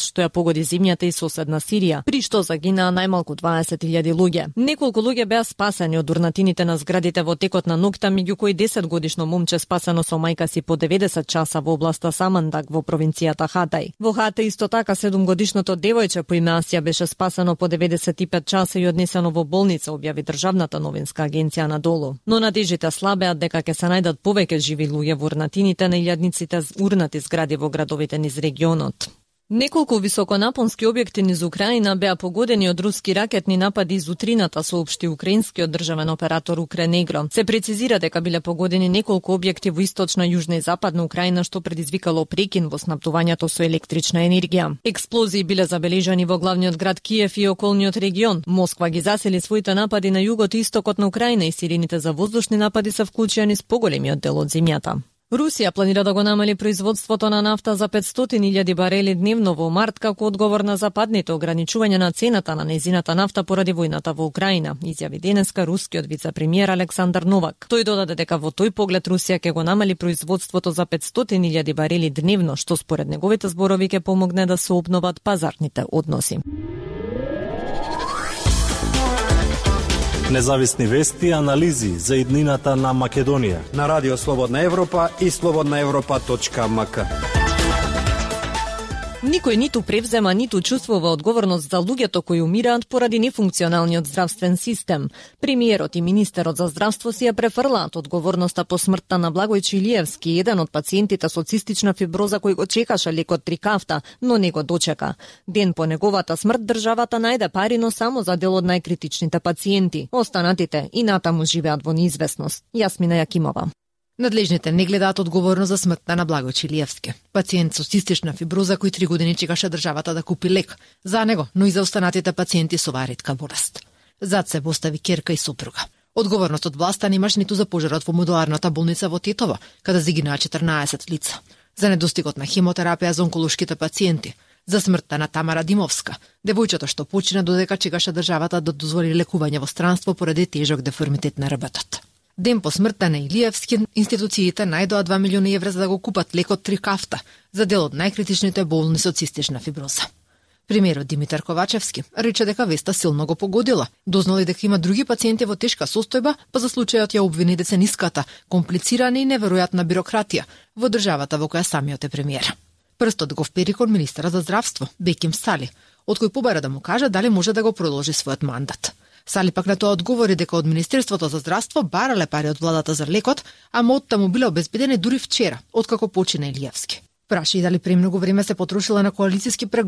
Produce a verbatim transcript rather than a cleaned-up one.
што ја погоди земјата и соседна Сирија, при што загинаа најмалку дваесет илјади луѓе. Неколку луѓе беа спасени од урнатините на зградите во текот на ноќта, меѓу кои десетгодишно момче спасено со мајка си по деветдесет часа во областа Самандак во провинцијата Хатай. Во Хатай исто така седумгодишното девојче по име Асија беше спасено по деветдесет и пет часа и однесено во болница, објави државната новинска агенција Анадолу. Но надежите слабеат дека ќе се најдат повеќе живи луѓе во урнатините на илјадниците урнати згради во градовите низ регионот. Неколку високонапонски објекти низ Украина беа погодени од руски ракетни напади из утрината, соопшти украинскиот државен оператор Укренегро. Се прецизира дека биле погодени неколку објекти во источна, јужна и западна Украина, што предизвикало прекин во снабдувањето со електрична енергија. Експлозии биле забележани во главниот град Киев и околниот регион. Москва ги засели своите напади на југот и истокот на Украина и сирените за воздушни напади се вклучени с поголемиот дел од земјата. Русија планира да го намали производството на нафта за петстотини илјади барели дневно во март како одговор на западните ограничувања на цената на незината нафта поради војната во Украина, изјави денеска рускиот вице-премиер Александар Новак. Тој додаде дека во тој поглед Русија ќе го намали производството за петстотини илјади барели дневно, што според неговите зборови ќе помогне да се обноват пазарните односи. Независни вести и анализи за иднината на Македонија на Радио Слободна Европа и слободна европа точка ем ка. Никој ниту превзема, ниту чувствува одговорност за луѓето кои умираат поради нефункционалниот здравствен систем. Премиерот и министерот за здравство си ја префрлаат одговорноста по смртта на Благој Чилиевски, еден од пациентите со цистична фиброза кој го чекаше лекот Трикафта, но не го дочека. Ден по неговата смрт државата најде пари, но само за дел од најкритичните пациенти. Останатите и натаму живеат во неизвестност. Јасмина Јакимова. Надлежните не гледаат одговорно за смртта на Благој Чилиевски. Пациент со цистична фиброза кој три години чекаше државата да купи лек за него, но и за останатите пациенти со оваа ретка болест. Зад се постави ќерка и сопруга. Одговорност од власта немаш ниту за пожарот во модуларната болница во Тетово, каде загинаа четрнаесет лица, за недостигот на хемотерапија за онколошките пациенти, за смртта на Тамара Димовска, девојчето што почина додека чекаше државата да дозволи лекување во странство поради тежок деформитет на рбтот. Ден по смртта на Илиевски, институциите најдоа два милиони евра за да го купат лекот Трикафта за дел од најкритичните болни со цистична фиброза. Премиерот Димитар Ковачевски рече дека веста силно го погодила. Дознали дека има други пациенти во тешка состојба, па за случајот ја обвини децениската, комплицирана и неверојатна бирократија во државата во која самиот е премиер. Прстот го впери кон министерот за здравство, Беким Сали, од кој побара да му каже дали може да го продолжи својот мандат. Сали пак на тоа одговори дека од Министерството за здравство барале пари од владата за лекот, а мотта му биле обезбедени дури вчера, откако почина Илиевски. Праша и дали премногу време се потрошила на коалициски преговори